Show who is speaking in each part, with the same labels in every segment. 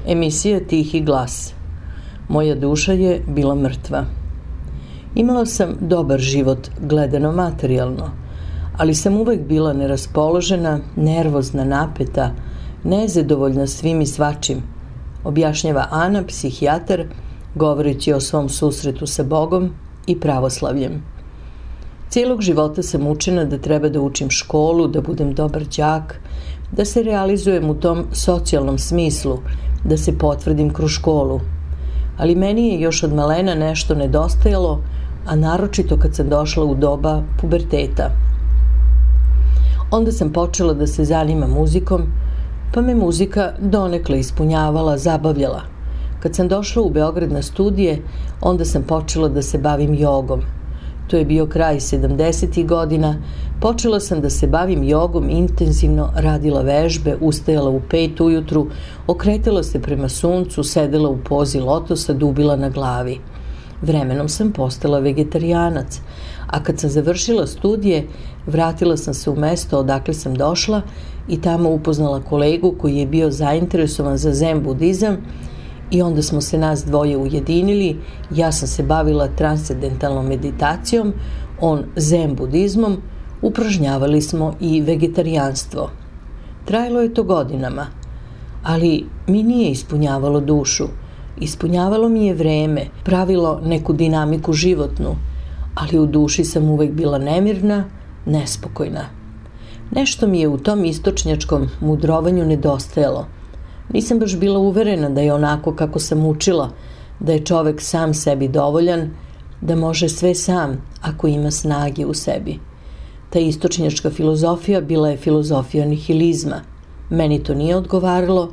Speaker 1: Emisija Tihi glas. Moja duša je bila mrtva. Imala sam dobar život, gledano materijalno, ali sam uvek bila neraspoložena, nervozna, napeta, nezadovoljna svim i svačim, objašnjava Ana, psihijatar, govoreći o svom susretu sa Bogom i pravoslavljem. Cijelog života sam učena da treba da učim školu, da budem dobar đak, da se realizujem u tom socijalnom smislu, da se potvrdim kroz školu. Ali meni je još od malena nešto nedostajalo, a naročito kad sam došla u doba puberteta. Onda sam počela da se zanimam muzikom, pa me muzika donekle ispunjavala, zabavljala. Kad sam došla u Beograd na studije, onda sam počela da se bavim jogom. To je bio kraj 70. godina, počela sam da se bavim jogom, intenzivno radila vežbe, ustajala u 5 ujutru, okretala se prema suncu, sedela u pozi lotosa, dubila na glavi. Vremenom sam postala vegetarijanac, a kad sam završila studije, vratila sam se u mesto odakle sam došla i tamo upoznala kolegu koji je bio zainteresovan za zen budizam i onda smo se nas dvoje ujedinili. Ja sam se bavila transcendentalnom meditacijom, on zen budizmom, upražnjavali smo i vegetarijanstvo. Trajalo je to godinama, ali mi nije ispunjavalo dušu. Ispunjavalo mi je vreme, pravilo neku dinamiku životnu, ali u duši sam uvek bila nemirna, nespokojna. Nešto mi je u tom istočnjačkom mudrovanju nedostajalo. Nisam baš bila uverena da je onako kako sam učila, da je čovek sam sebi dovoljan, da može sve sam ako ima snage u sebi. Ta istočnjačka filozofija bila je filozofija nihilizma. Meni to nije odgovaralo,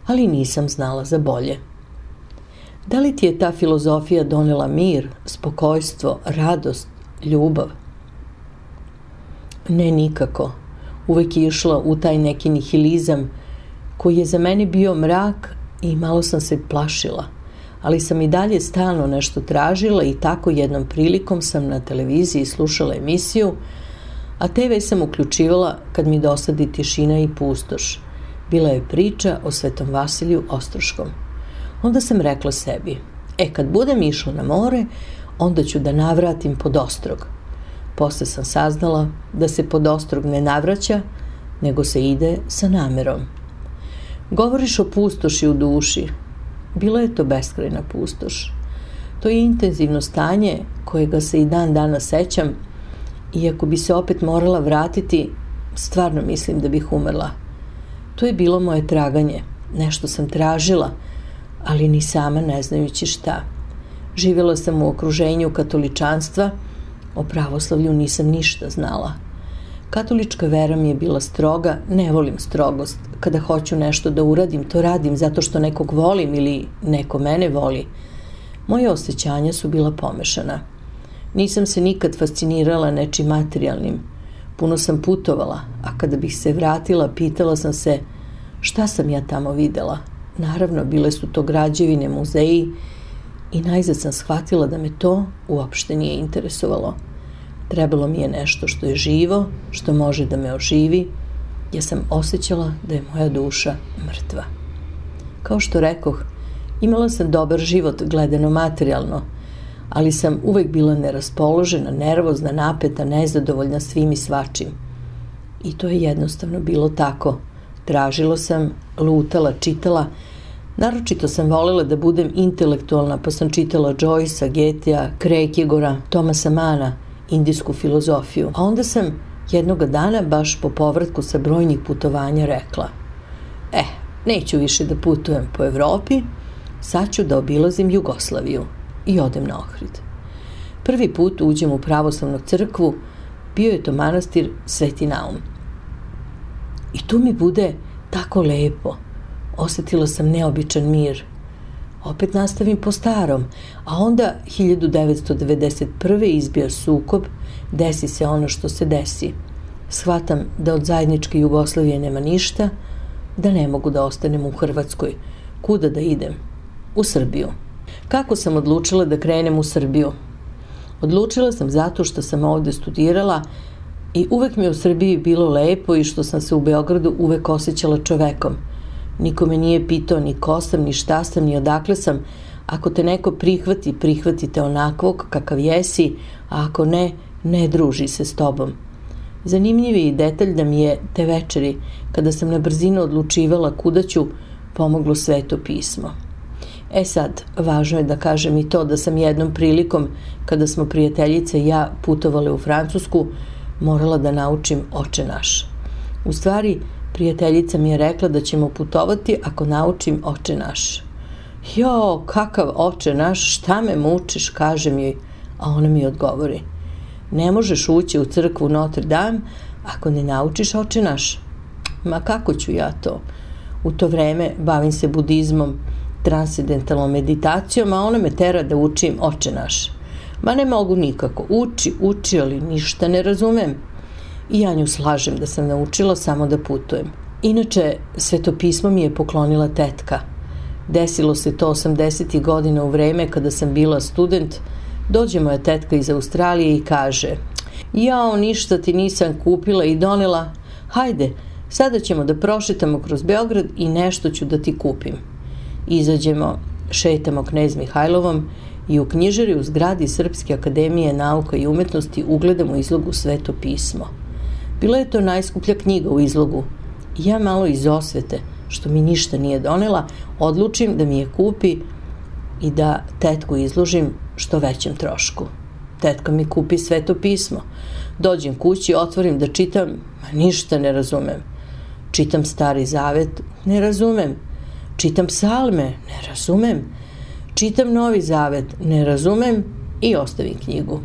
Speaker 1: ali nisam znala za bolje. Da li ti je ta filozofija donela mir, spokojstvo, radost, ljubav? Ne, nikako. Uvek je išla u taj neki nihilizam koji je za mene bio mrak i malo sam se plašila, ali sam i dalje stalno nešto tražila i tako jednom prilikom sam na televiziji slušala emisiju, a TV sam uključivala kad mi dosadi tišina i pustoš. Bila je priča o Svetom Vasiliju Ostroškom. Onda sam rekla sebi, kad budem išla na more, onda ću da navratim pod Ostrog. Posle sam saznala da se pod Ostrog ne navraća, nego se ide sa namerom. Govoriš o pustoši u duši. Bila je to beskrajna pustoš. To je intenzivno stanje kojega se i dan danas sećam i ako bi se opet morala vratiti, stvarno mislim da bih umrla. To je bilo moje traganje. Nešto sam tražila, ali ni sama ne znajući šta. Živjela sam u okruženju katoličanstva, o pravoslavlju nisam ništa znala. Katolička vera mi je bila stroga, ne volim strogost. Kada hoću nešto da uradim, to radim zato što nekog volim ili neko mene voli. Moje osjećanja su bila pomešana. Nisam se nikad fascinirala nečim materijalnim. Puno sam putovala, a kada bih se vratila, pitala sam se šta sam ja tamo videla. Naravno, bile su to građevine, muzeji i najzad sam shvatila da me to uopšte nije interesovalo. Trebalo mi je nešto što je živo, što može da me oživi, jer sam osjećala da je moja duša mrtva. Kao što rekoh, imala sam dobar život gledano materijalno, ali sam uvek bila neraspoložena, nervozna, napeta, nezadovoljna svim i svačim. I to je jednostavno bilo tako. Tražila sam, lutala, čitala. Naročito sam volela da budem intelektualna, pa sam čitala Joycea, Goethea, Kierkegaarda, Thomasa Manna, indijsku filozofiju. A onda sam jednoga dana, baš po povratku sa brojnih putovanja, rekla: neću više da putujem po Evropi, sad ću da obilazim Jugoslaviju i odem na Ohrid. Prvi put uđem u pravoslavnu crkvu, bio je to manastir Sveti Naum. I tu mi bude tako lepo. Osetila sam neobičan mir. Opet nastavim po starom, a onda 1991. izbija sukob, desi se ono što se desi. Shvatam da od zajedničke Jugoslavije nema ništa, da ne mogu da ostanem u Hrvatskoj. Kuda da idem? U Srbiju. Kako sam odlučila da krenem u Srbiju? Odlučila sam zato što sam ovde studirala i uvek mi je u Srbiji bilo lepo i što sam se u Beogradu uvek osjećala čovekom. Niko me nije pitao ni ko sam, ni šta sam, ni odakle sam. Ako te neko prihvati, prihvatite onakvog kakav jesi, a ako ne, ne druži se s tobom. Zanimljiv je i detalj da mi je te večeri, kada sam na brzinu odlučivala kuda ću, pomoglo Sveto pismo. Sad, važno je da kažem i to da sam jednom prilikom, kada smo prijateljice i ja putovale u Francusku, morala da naučim Oče naš. U stvari, prijateljica mi je rekla da ćemo putovati ako naučim Oče naš. Jo, kakav Oče naš, šta me mučiš, kažem joj, a ona mi odgovori: ne možeš ući u crkvu Notre Dame ako ne naučiš Oče naš. Ma kako ću ja to? U to vreme bavim se budizmom, transcendentalnom meditacijom, a ona me tera da učim Oče naš. Ma ne mogu nikako, uči, ali ništa ne razumem. I ja nju slažem da sam naučila samo da putujem. Inače, Sveto pismo mi je poklonila tetka. Desilo se to 80. godina u vreme kada sam bila student. Dođe moja tetka iz Australije i kaže: jao, ništa ti nisam kupila i donela, hajde, sada ćemo da prošetamo kroz Beograd i nešto ću da ti kupim. Izađemo, šetamo Knez Mihajlovom i u knjižari u zgradi Srpske akademije nauka i umetnosti ugledamo izlogu Sveto pismo. Bila je to najskuplja knjiga u izlogu i ja malo iz osvete, što mi ništa nije donela, odlučim da mi je kupi i da tetku izložim što većem trošku. Tetka mi kupi Sveto pismo. Dođem kući, otvorim da čitam, ništa ne razumem. Čitam Stari Zavet, ne razumem. Čitam psalme, ne razumem. Čitam Novi Zavet, ne razumem i ostavim knjigu.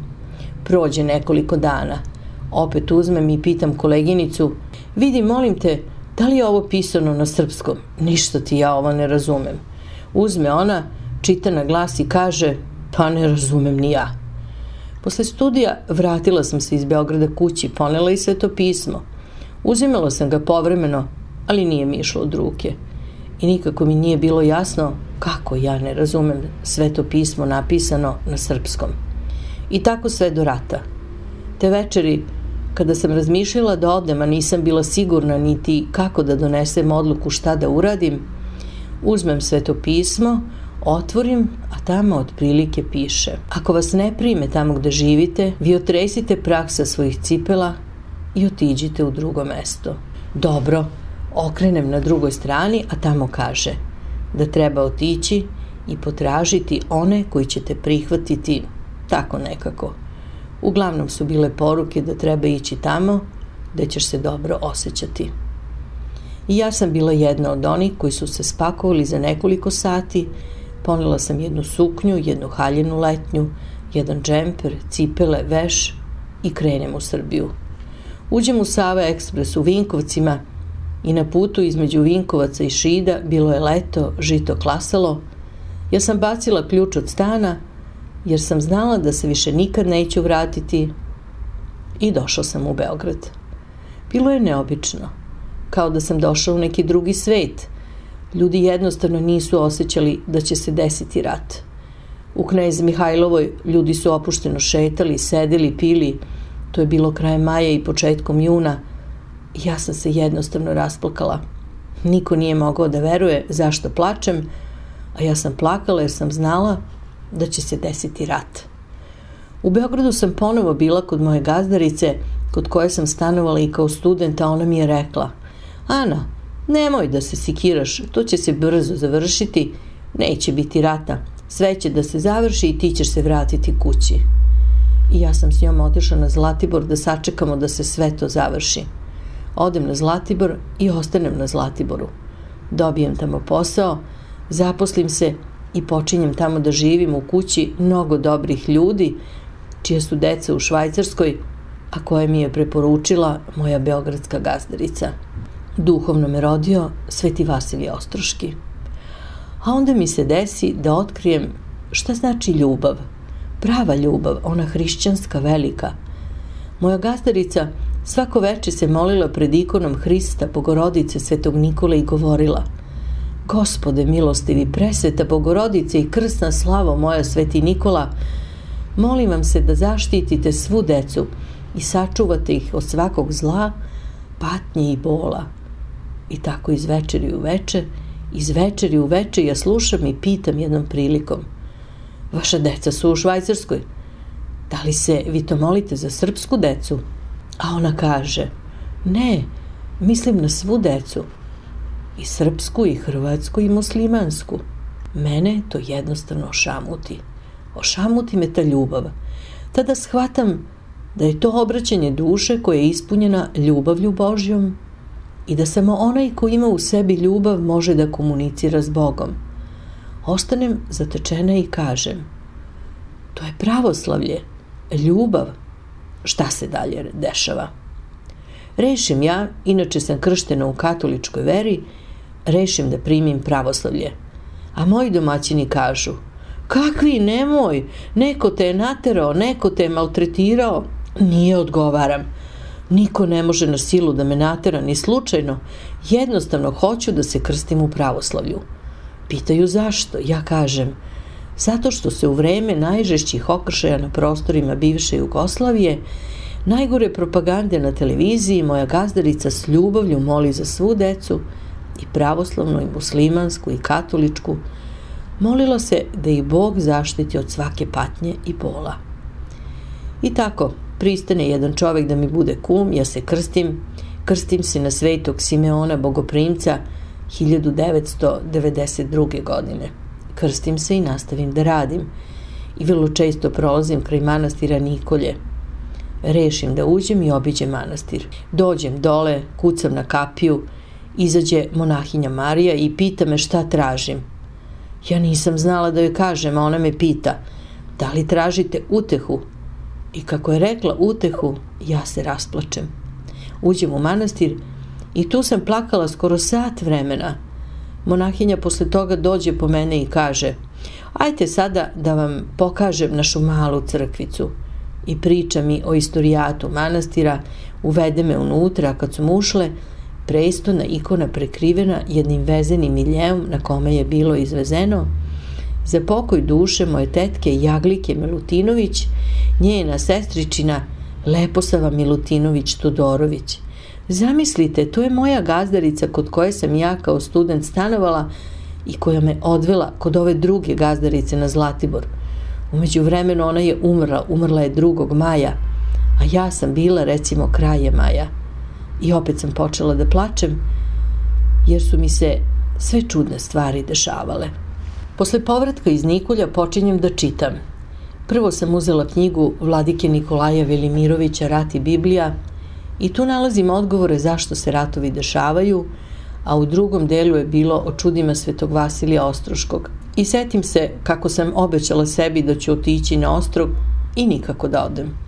Speaker 1: Prođe nekoliko dana. Opet uzmem i pitam koleginicu: vidi, molim te, da li je ovo pisano na srpskom? Ništa ti ja ovo ne razumem. Uzme ona, čita na glas i kaže: pa ne razumem ni ja. Posle studija vratila sam se iz Beograda kući, ponela i Sveto pismo. Uzimala sam ga povremeno, ali nije mi išlo od ruke. I nikako mi nije bilo jasno kako ja ne razumem Sveto pismo napisano na srpskom. I tako sve do rata. Te večeri, kada sam razmišljala da odem, a nisam bila sigurna niti kako da donesem odluku šta da uradim, uzmem Sveto pismo, otvorim, a tamo otprilike piše: ako vas ne prime tamo gde živite, vi otresite prah sa svojih cipela i otiđite u drugo mesto. Dobro, okrenem na drugoj strani, a tamo kaže da treba otići i potražiti one koji će te prihvatiti, tako nekako. Uglavnom su bile poruke da treba ići tamo gde ćeš se dobro osjećati. I ja sam bila jedna od onih koji su se spakovali za nekoliko sati. Ponela sam jednu suknju, jednu haljinu letnju, jedan džemper, cipele, veš i krenem u Srbiju. Uđem u Sava Ekspres u Vinkovcima i na putu između Vinkovaca i Šida bilo je leto, žito klasalo. Ja sam bacila ključ od stana jer sam znala da se više nikad neću vratiti i došla sam u Beograd. Bilo je neobično, kao da sam došla u neki drugi svet. Ljudi jednostavno nisu osjećali da će se desiti rat. U Knez Mihajlovoj ljudi su opušteno šetali, sedeli, pili. To je bilo krajem maja i početkom juna. Ja sam se jednostavno rasplakala. Niko nije mogao da veruje zašto plačem, a ja sam plakala jer sam znala da će se desiti rat. U Beogradu sam ponovo bila kod moje gazdarice, kod koje sam stanovala i kao student, a ona mi je rekla: Ana, nemoj da se sikiraš, to će se brzo završiti, neće biti rata, sve će da se završi i ti ćeš se vratiti kući. i ja sam s njom otišla na Zlatibor da sačekamo da se sve to završi. Odem na Zlatibor i ostanem na Zlatiboru. Dobijem tamo posao, zaposlim se i počinjem tamo da živim u kući mnogo dobrih ljudi, čije su deca u Švajcarskoj, a koje mi je preporučila moja beogradska gazdarica. Duhovno me rodio Sveti Vasilije Ostroški. A onda mi se desi da otkrijem šta znači ljubav, prava ljubav, ona hrišćanska velika. Moja gazdarica svako veče se molila pred ikonom Hrista, Bogorodice, Svetog Nikole i govorila: Gospode milostivi, presveta Bogorodice i krsna slavo moja, Sveti Nikola, molim vam se da zaštitite svu decu i sačuvate ih od svakog zla, patnje i bola. I tako iz večeri u veče ja slušam i pitam jednom prilikom: vaša deca su u Švajcarskoj, da li se vi to molite za srpsku decu? A ona kaže: ne, mislim na svu decu, i srpsku, i hrvatsku, i muslimansku. Mene to jednostavno ošamuti me ta ljubav. Tada shvatam da je to obraćanje duše koja je ispunjena ljubavlju Božjom i da samo onaj ko ima u sebi ljubav može da komunicira s Bogom. Ostanem zatečena i kažem: to je pravoslavlje, ljubav. Šta se dalje dešava? Rešim ja, inače sam krštena u katoličkoj veri, rešim da primim pravoslavlje. A moji domaćini kažu: kakvi, nemoj, neko te je naterao, neko te je maltretirao. Nije, odgovaram, niko ne može na silu da me natera ni slučajno, jednostavno hoću da se krstim u pravoslavlju. Pitaju zašto, ja kažem: zato što se u vreme najžešćih okršaja na prostorima bivše Jugoslavije, najgore propagande na televiziji, moja gazdarica s ljubavlju moli za svu decu, i pravoslavnu, i muslimansku, i katoličku. Molila se da ih Bog zaštiti od svake patnje i bola. I tako, pristane jedan čovek da mi bude kum, ja se krstim se na Svetog Simeona Bogoprimca 1992. godine. Krstim se i nastavim da radim. I vrlo često prolazim kraj manastira Nikolje. Rešim da uđem i obiđem manastir. Dođem dole, kucam na kapiju, izađe monahinja Marija i pita me šta tražim. Ja nisam znala da joj kažem, a ona me pita: da li tražite utehu? I kako je rekla utehu, ja se rasplačem. Uđem u manastir i tu sam plakala skoro sat vremena. Monahinja posle toga dođe po mene i kaže: ajte sada da vam pokažem našu malu crkvicu. I priča mi o istorijatu manastira, uvede me unutra, a kad su ušle, prestona ikona prekrivena jednim vezenim miljeom na kome je bilo izvezeno: za pokoj duše moje tetke Jaglike Milutinović, njena sestričina Leposava Milutinović Todorović. Zamislite, to je moja gazdarica kod koje sam ja kao student stanovala i koja me odvela kod ove druge gazdarice na Zlatibor. U međuvremenu ona je umrla je 2. maja, a ja sam bila recimo kraje maja. I opet sam počela da plačem, jer su mi se sve čudne stvari dešavale. Posle povratka iz Nikolja počinjem da čitam. Prvo sam uzela knjigu vladike Nikolaja Velimirovića Rat i Biblija i tu nalazim odgovore zašto se ratovi dešavaju, a u drugom delu je bilo o čudima Svetog Vasilija Ostroškog. I setim se kako sam obećala sebi da ću otići na ostrog i nikako da odem.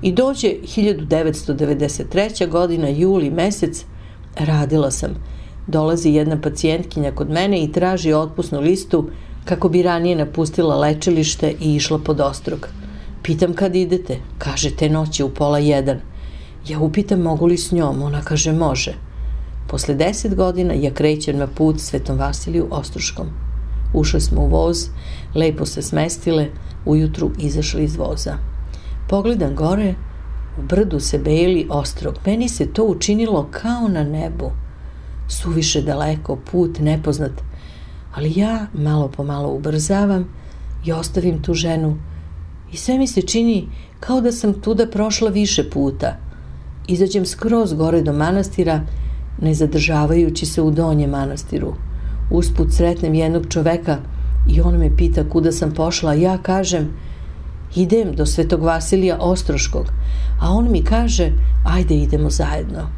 Speaker 1: I dođe 1993. godina, juli mesec, radila sam. Dolazi jedna pacijentkinja kod mene i traži otpusnu listu kako bi ranije napustila lečilište i išla pod ostrog. Pitam kad idete, kaže te noći u 12:30. Ja upitam mogu li s njom, ona kaže može. Posle 10 godina ja krećem na put Svetom Vasiliju Ostroškom. Ušli smo u voz, lepo se smestile, ujutru izašli iz voza. Pogledam gore, u brdu se beli ostrog. Meni se to učinilo kao na nebu. Suviše daleko, put nepoznat. Ali ja malo po malo ubrzavam i ostavim tu ženu. I sve mi se čini kao da sam tuda prošla više puta. Izađem skroz gore do manastira, ne zadržavajući se u donjem manastiru. Usput sretnem jednog čoveka i on me pita kuda sam pošla, a ja kažem: Idem do Svetog Vasilija Ostroškog, a on mi kaže, ajde idemo zajedno.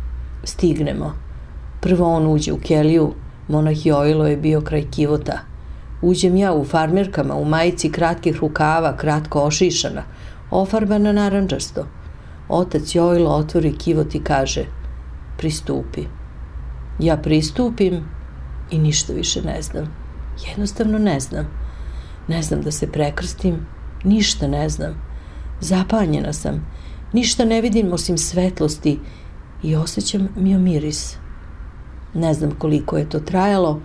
Speaker 1: Stignemo. Prvo on uđe u keliju, monah Jojlo je bio kraj kivota. Uđem ja u farmerkama, u majici kratkih rukava, kratko ošišana, ofarbana narandžasto. Otac Jojlo otvori kivot i kaže, pristupi. Ja pristupim i ništa više ne znam. Jednostavno ne znam. Ne znam da se prekrstim, ništa ne znam. Zapanjena sam, ništa ne vidim osim svetlosti i osjećam miomiris. Ne znam koliko je to trajalo,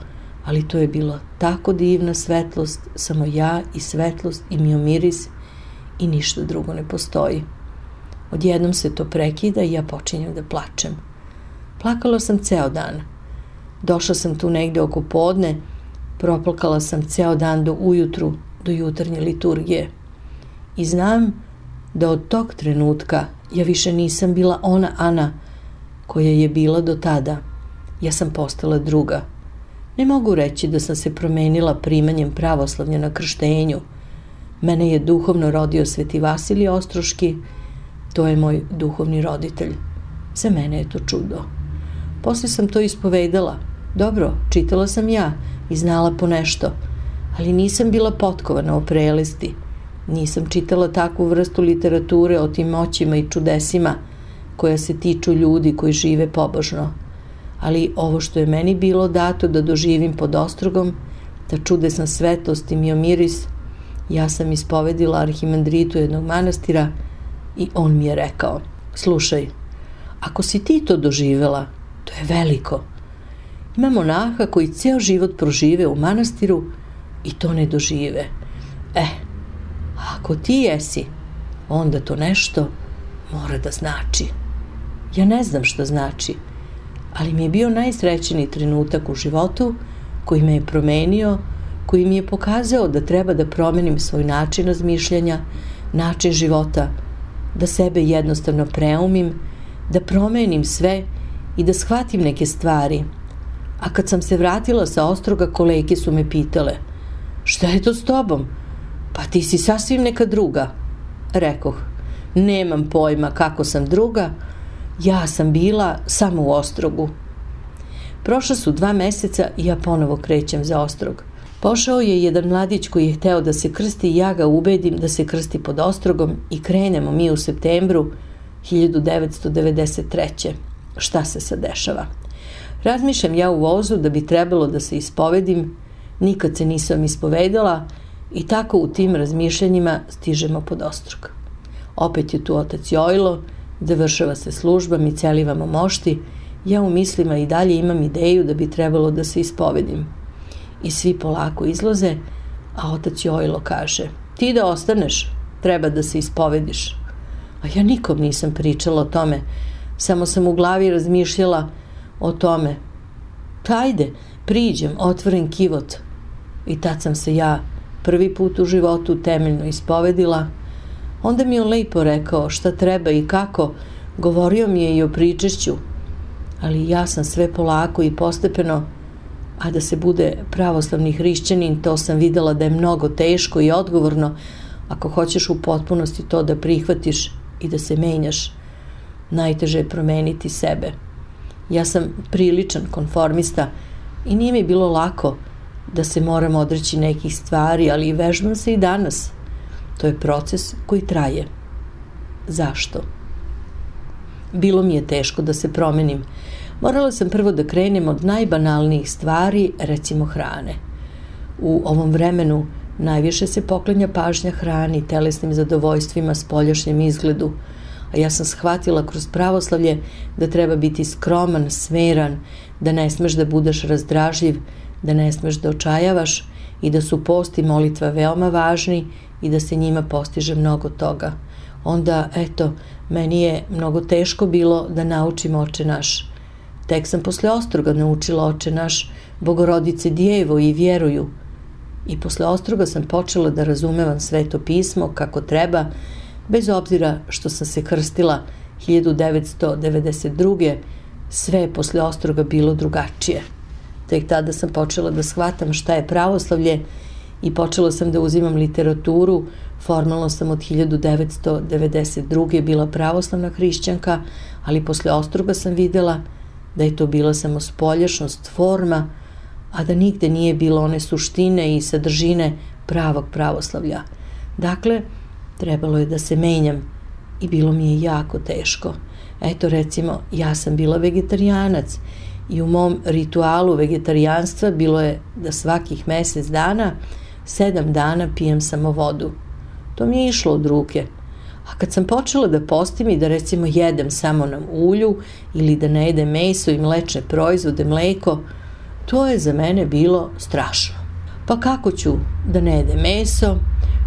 Speaker 1: ali to je bila tako divna svetlost, samo ja i svetlost i miomiris i ništa drugo ne postoji. Odjednom se to prekida i ja počinjem da plačem. Plakala sam ceo dan. Došla sam tu negde oko podne, proplakala sam ceo dan do ujutru, do jutarnje liturgije. I znam da od tog trenutka ja više nisam bila ona Ana koja je bila do tada. Ja sam postala druga. Ne mogu reći da sam se promenila primanjem pravoslavlja na krštenju. Mene je duhovno rodio Sveti Vasilij Ostroški, to je moj duhovni roditelj. Za mene je to čudo. Posle sam to ispovedala. Dobro, čitala sam ja i znala po nešto, ali nisam bila potkovana o prelesti. Nisam čitala takvu vrstu literature o tim moćima i čudesima koja se tiču ljudi koji žive pobožno. Ali ovo što je meni bilo dato da doživim pod ostrogom, ta čudesna svetlost i miomiris, ja sam ispovedila arhimandritu jednog manastira i on mi je rekao, slušaj, ako si ti to doživela, to je veliko. Ima monaha koji ceo život prožive u manastiru i to ne dožive. Ako ti jesi, onda to nešto mora da znači. Ja ne znam šta znači, ali mi je bio najsrećniji trenutak u životu koji me je promenio, koji mi je pokazao da treba da promenim svoj način razmišljanja, način života, da sebe jednostavno preumim, da promenim sve i da shvatim neke stvari. A kad sam se vratila sa Ostroga, kolege su me pitale, šta je to s tobom? Pa ti si sasvim neka druga. Rekoh, nemam pojma kako sam druga, ja sam bila samo u Ostrogu. Prošla su 2 meseca i ja ponovo krećem za Ostrog. Pošao je jedan mladić koji je hteo da se krsti i ja ga ubedim da se krsti pod Ostrogom i krenemo mi u septembru 1993. Šta se sad dešava? Razmišljam ja u vozu da bi trebalo da se ispovedim, nikad se nisam ispovedala i tako u tim razmišljanjima stižemo pod Ostrog. Opet je tu otac Jojlo, završava se služba, mi celivamo mošti, ja u mislima i dalje imam ideju da bi trebalo da se ispovedim. I svi polako izlaze, a otac Jojlo kaže, ti da ostaneš, treba da se ispovediš. A ja nikom nisam pričala o tome, samo sam u glavi razmišljala o tome. Ajde, priđem, otvoren kivot. I tad sam se ja prvi put u životu temeljno ispovedila. Onda mi je on lepo rekao šta treba i kako, govorio mi je i o pričešću, ali ja sam sve polako i postepeno, a da se bude pravoslavni hrišćanin, to sam videla da je mnogo teško i odgovorno ako hoćeš u potpunosti to da prihvatiš i da se menjaš. Najteže je promeniti sebe. Ja sam priličan konformista i nije mi bilo lako da se moram odreći nekih stvari, ali vežbam se i danas. To je proces koji traje. Zašto? Bilo mi je teško da se promenim. Morala sam prvo da krenem od najbanalnijih stvari, recimo hrane. U ovom vremenu najviše se poklanja pažnja hrani, telesnim zadovoljstvima, spoljašnjem izgledu, a ja sam shvatila kroz pravoslavlje da treba biti skroman, smeran, da ne smeš da budeš razdražljiv, da ne smeš da očajavaš i da su post i molitva veoma važni i da se njima postiže mnogo toga. Onda, eto, meni je mnogo teško bilo da naučim Oče naš. Tek sam posle Ostroga naučila Oče naš, Bogorodice Djevo i vjeruju. I posle Ostroga sam počela da razumevam Sveto pismo kako treba, bez obzira što sam se krstila 1992. Sve je posle Ostroga bilo drugačije. Tek tada sam počela da shvatam šta je pravoslavlje i počela sam da uzimam literaturu. Formalno sam od 1992. bila pravoslavna hrišćanka, ali posle Ostroga sam videla da je to bila samo spoljašnost, forma, a da nigde nije bilo one suštine i sadržine pravog pravoslavlja. Dakle, trebalo je da se menjam i bilo mi je jako teško. Eto, recimo, ja sam bila vegetarijanac i u mom ritualu vegetarijanstva bilo je da svakih mesec dana, 7 dana pijem samo vodu. To mi je išlo od ruke. A kad sam počela da postim i da recimo jedem samo na ulju ili da ne jedem meso i mlečne proizvode, mleko, to je za mene bilo strašno. Pa kako ću da ne jedem meso,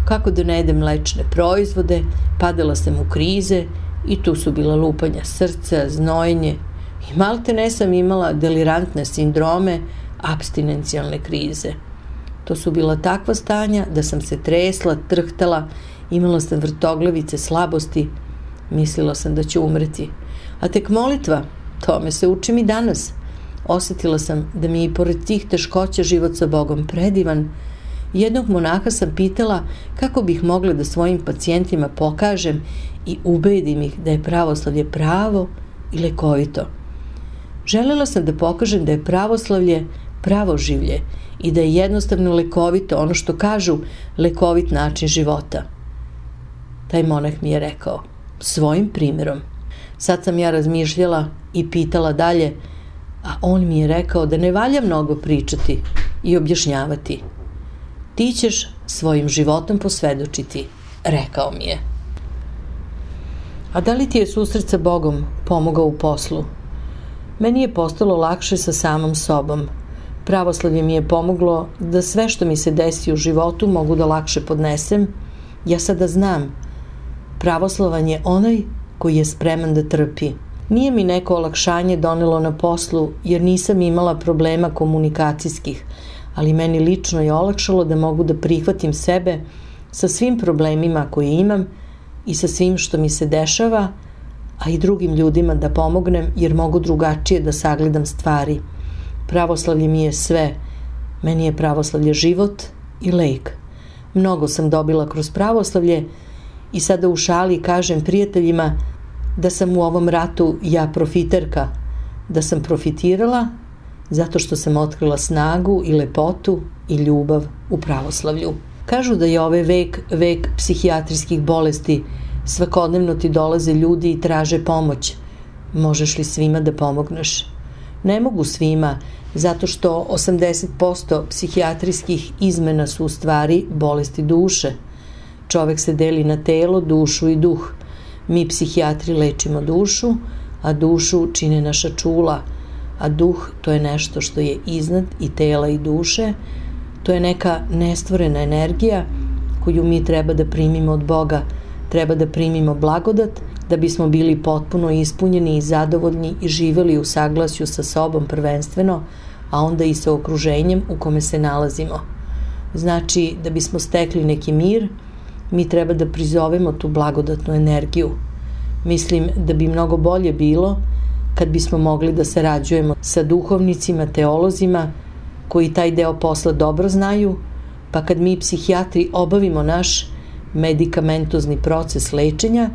Speaker 1: kako da ne jedem mlečne proizvode, padala sam u krize i tu su bila lupanja srca, znojenje i malte ne sam imala delirantne sindrome, apstinencijalne krize. To su bila takva stanja da sam se tresla, trhtala, imala sam vrtoglavice, slabosti, mislila sam da ću umreti. A tek molitva, tome se učim i danas. Osetila sam da mi je i pored tih teškoća život sa Bogom predivan. Jednog monaha sam pitala kako bih mogla da svojim pacijentima pokažem i ubedim ih da je pravoslavlje pravo i lekovito. Želela sam da pokažem da je pravoslavlje pravo življe i da je jednostavno lekovito, ono što kažu, lekovit način života. Taj monah mi je rekao, svojim primjerom. Sad sam ja razmišljala i pitala dalje, a on mi je rekao da ne valja mnogo pričati i objašnjavati. Ti ćeš svojim životom posvedočiti, rekao mi je. A da li ti je susret sa Bogom pomogao u poslu? Meni je postalo lakše sa samom sobom. Pravoslavlje mi je pomoglo da sve što mi se desi u životu mogu da lakše podnesem. Ja sada znam, pravoslavan je onaj koji je spreman da trpi. Nije mi neko olakšanje donelo na poslu jer nisam imala problema komunikacijskih, ali meni lično je olakšalo da mogu da prihvatim sebe sa svim problemima koje imam i sa svim što mi se dešava, a i drugim ljudima da pomognem jer mogu drugačije da sagledam stvari. Pravoslavlje mi je sve. Meni je pravoslavlje život i lek. Mnogo sam dobila kroz pravoslavlje i sada u šali kažem prijateljima da sam u ovom ratu ja profiterka, da sam profitirala zato što sam otkrila snagu i lepotu i ljubav u pravoslavlju. Kažu da je ovaj vek psihijatrijskih bolesti. Svakodnevno ti dolaze ljudi i traže pomoć. Možeš li svima da pomogneš? Ne mogu svima, zato što 80% psihijatrijskih izmena su u stvari bolesti duše. Čovek se deli na telo, dušu i duh. Mi psihijatri lečimo dušu, a dušu čine naša čula, a duh to je nešto što je iznad i tela i duše. To je neka nestvorena energija koju mi treba da primimo od Boga, treba da primimo blagodat da bismo bili potpuno ispunjeni i zadovoljni i živeli u saglasju sa sobom prvenstveno, a onda i sa okruženjem u kome se nalazimo. Znači, da bismo stekli neki mir, mi treba da prizovemo tu blagodatnu energiju. Mislim da bi mnogo bolje bilo kad bismo mogli da sarađujemo sa duhovnicima, teolozima, koji taj deo posla dobro znaju, pa kad mi psihijatri obavimo naš medikamentozni proces lečenja,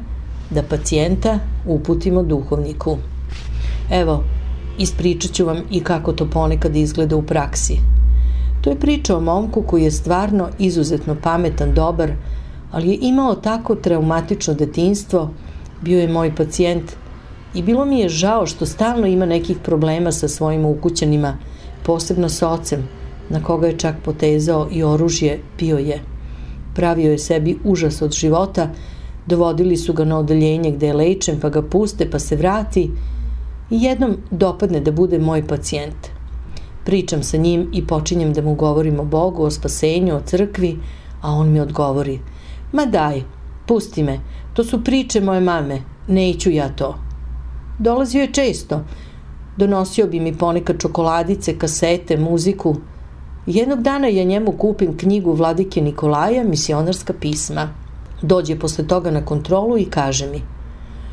Speaker 1: da pacijenta uputimo duhovniku. Evo, ispričat ću vam i kako to ponekad izgleda u praksi. To je priča o momku koji je stvarno izuzetno pametan, dobar, ali je imao tako traumatično detinjstvo, bio je moj pacijent i bilo mi je žao što stalno ima nekih problema sa svojim ukućanima, posebno s ocem, na koga je čak potezao i oružje, pio je. Pravio je sebi užas od života, dovodili su ga na odeljenje gde je lečen, pa ga puste, pa se vrati i jednom dopadne da bude moj pacijent. Pričam sa njim i počinjem da mu govorim o Bogu, o spasenju, o crkvi, a on mi odgovori: ma daj, pusti me, to su priče moje mame, neću ja to. Dolazio je često, donosio bi mi ponekad čokoladice, kasete, muziku. Jednog dana ja njemu kupim knjigu Vladike Nikolaja, Misionarska pisma. Dođe posle toga na kontrolu i kaže mi: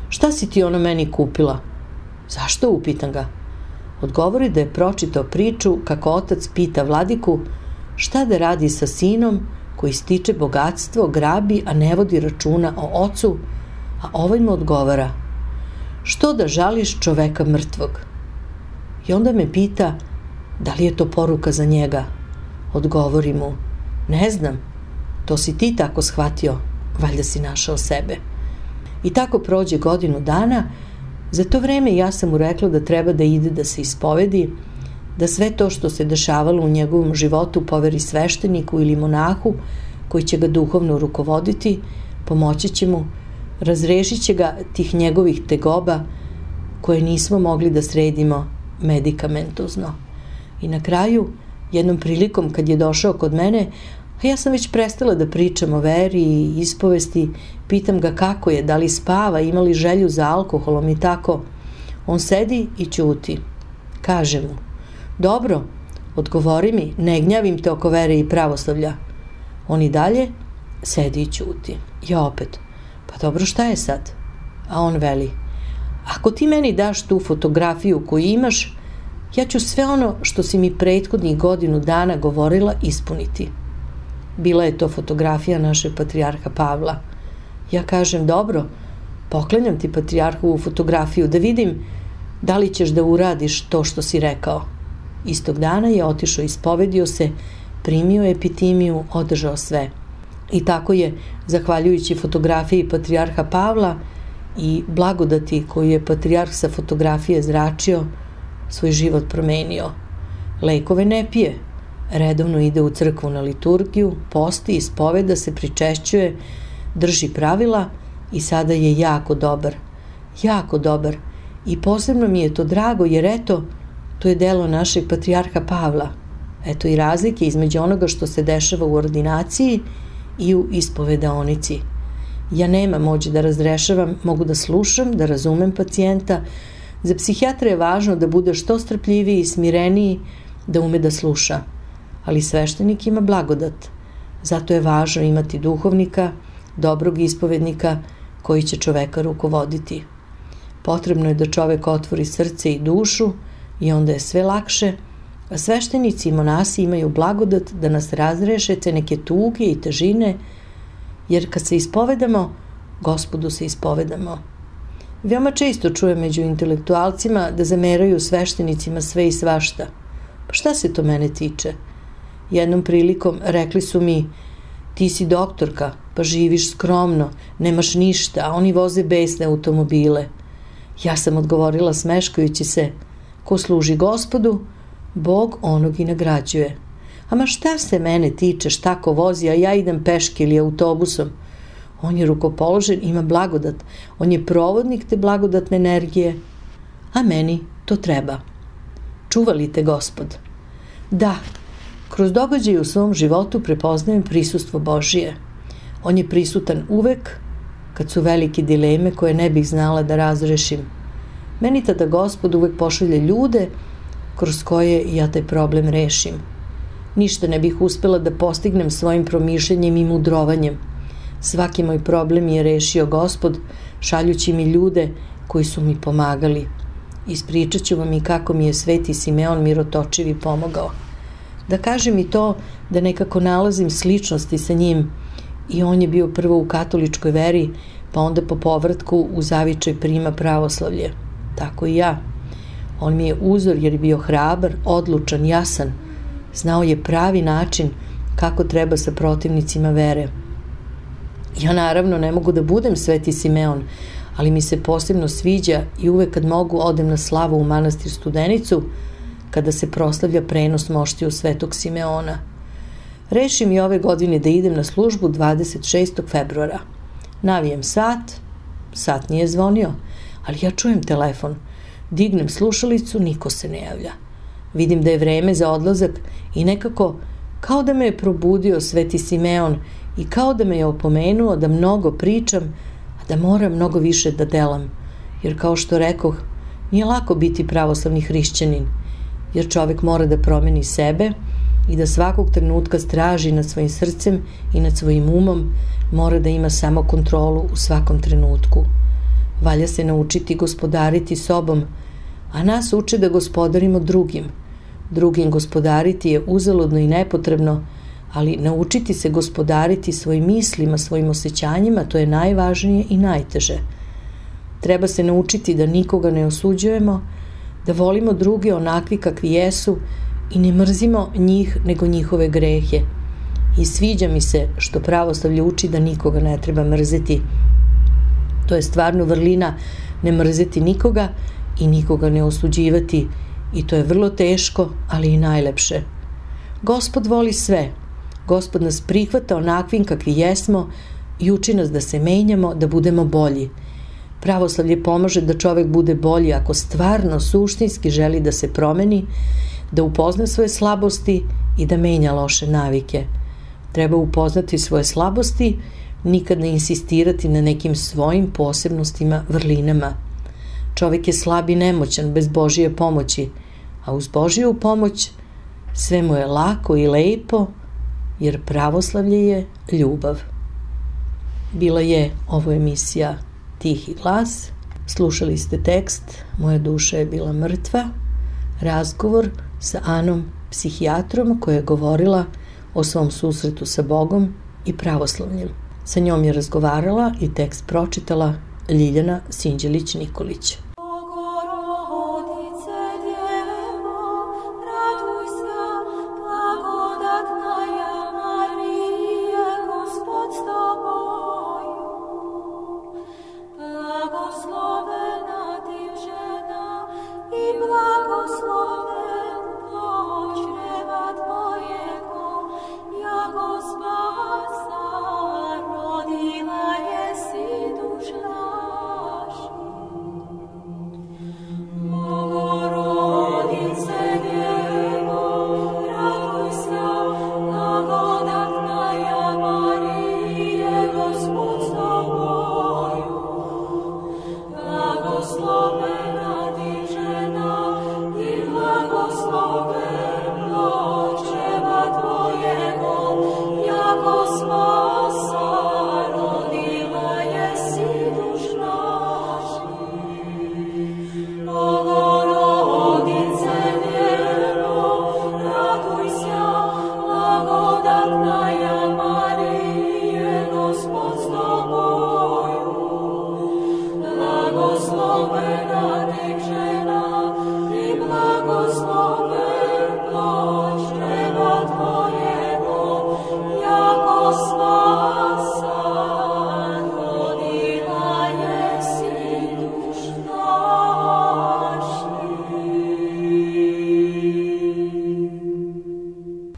Speaker 1: šta si ti ono meni kupila? Zašto, upitam ga. Odgovori da je pročitao priču kako otac pita Vladiku šta da radi sa sinom koji stiče bogatstvo, grabi, a ne vodi računa o ocu, a ovaj mu odgovara: što da žališ čoveka mrtvog? I onda me pita da li je to poruka za njega. Odgovori mu: ne znam, to si ti tako shvatio, valjda si našao sebe. I tako prođe godinu dana. Za to vreme ja sam mu rekla da treba da ide da se ispovedi, da sve to što se dešavalo u njegovom životu poveri svešteniku ili monahu koji će ga duhovno rukovoditi, pomoći će mu, razrešit će ga tih njegovih tegoba koje nismo mogli da sredimo medikamentozno. I na kraju, jednom prilikom kad je došao kod mene, a ja sam već prestala da pričam o veri i ispovesti, pitam ga kako je, da li spava, ima li želju za alkoholom i tako. On sedi i ćuti. Kaže mu: dobro, odgovori mi, ne gnjavim te oko vere i pravoslavlja. On i dalje sedi i ćuti. Ja opet: pa dobro, šta je sad? A on veli: ako ti meni daš tu fotografiju koju imaš, ja ću sve ono što si mi prethodnih godinu dana govorila ispuniti. Bila je to fotografija našeg patrijarha Pavla. Ja kažem: dobro, poklanjam ti patrijarhovu fotografiju da vidim da li ćeš da uradiš to što si rekao. Istog dana je otišao, ispovedio se, primio epitimiju, održao sve. I tako je, zahvaljujući fotografiji patrijarha Pavla i blagodati koju je patrijarh sa fotografije zračio, svoj život promenio. Lekove ne pije, redovno ide u crkvu na liturgiju, posti, ispoveda se, pričešćuje, drži pravila i sada je jako dobar. Jako dobar. I posebno mi je to drago jer eto, to je delo našeg patrijarha Pavla. Eto i razlike između onoga što se dešava u ordinaciji i u ispovedaonici. Ja nemam moći da razrešavam, mogu da slušam, da razumem pacijenta. Za psihijatra je važno da bude što strpljiviji i smireniji, da ume da sluša. Ali sveštenik ima blagodat. Zato je važno imati duhovnika, dobrog ispovednika koji će čoveka rukovoditi. Potrebno je da čovek otvori srce i dušu i onda je sve lakše, a sveštenici i monasi imaju blagodat da nas razreše te neke tuge i težine, jer kad se ispovedamo, Gospodu se ispovedamo. Veoma često čujem među intelektualcima da zameraju sveštenicima sve i svašta. Pa šta se to mene tiče? Jednom prilikom rekli su mi: ti si doktorka, pa živiš skromno, nemaš ništa, a oni voze besne automobile. Ja sam odgovorila smeškajući se: ko služi Gospodu, Bog onog i nagrađuje. Ama šta se mene tiče šta ko vozi, a ja idem peške ili autobusom? On je rukopoložen, ima blagodat, on je provodnik te blagodatne energije, a meni to treba. Čuva li te Gospod? Da, kroz događaje u svom životu prepoznajem prisustvo Božije. On je prisutan uvek kad su velike dileme koje ne bih znala da razrešim. Meni tada Gospod uvek pošalje ljude kroz koje ja taj problem rešim. Ništa ne bih uspela da postignem svojim promišljanjem i mudrovanjem. Svaki moj problem je rešio Gospod, šaljući mi ljude koji su mi pomagali. Ispričat ću vam i kako mi je Sveti Simeon Mirotočivi pomogao. Da kažem i to da nekako nalazim sličnosti sa njim. I on je bio prvo u katoličkoj veri, pa onda po povratku u zavičaj prima pravoslavlje. Tako i ja. On mi je uzor jer je bio hrabar, odlučan, jasan. Znao je pravi način kako treba sa protivnicima vere. Ja naravno ne mogu da budem Sveti Simeon, ali mi se posebno sviđa i uvek kad mogu odem na slavu u manastir Studenicu, kada se proslavlja prenos moštiju Svetog Simeona. Rešim i ove godine da idem na službu 26. februara. Navijem sat nije zvonio, ali ja čujem telefon. Dignem slušalicu, niko se ne javlja. Vidim da je vreme za odlazak i nekako kao da me je probudio Sveti Simeon i kao da me je opomenuo da mnogo pričam, a da moram mnogo više da delam. Jer kao što rekoh, nije lako biti pravoslavni hrišćanin, jer čovek mora da promeni sebe i da svakog trenutka straži nad svojim srcem i nad svojim umom, mora da ima samo kontrolu u svakom trenutku. Valja se naučiti gospodariti sobom, a nas uče da gospodarimo drugim. Drugim gospodariti je uzaludno i nepotrebno, ali naučiti se gospodariti svojim mislima, svojim osjećanjima, to je najvažnije i najteže. Treba se naučiti da nikoga ne osuđujemo, da volimo druge onakvi kakvi jesu i ne mrzimo njih nego njihove grehe. I sviđa mi se što pravoslavlje uči da nikoga ne treba mrzeti. To je stvarno vrlina, ne mrzeti nikoga i nikoga ne osuđivati, i to je vrlo teško, ali i najlepše. Gospod voli sve. Gospod nas prihvata onakvim kakvi jesmo i uči nas da se menjamo, da budemo bolji. Pravoslavlje pomaže da čovek bude bolji ako stvarno, suštinski želi da se promeni, da upozna svoje slabosti i da menja loše navike. Treba upoznati svoje slabosti, nikad ne insistirati na nekim svojim posebnostima, vrlinama. Čovek je slab i nemoćan bez Božije pomoći, a uz Božiju pomoć sve mu je lako i lepo, jer pravoslavlje je ljubav. Bila je ovo emisija Tihi glas. Slušali ste tekst Moja duša je bila mrtva, razgovor sa Anom, psihijatrom, koja je govorila o svom susretu sa Bogom i pravoslavljem. Sa njom je razgovarala i tekst pročitala Ljiljana Sinđelić-Nikolić.
Speaker 2: Blagoslovena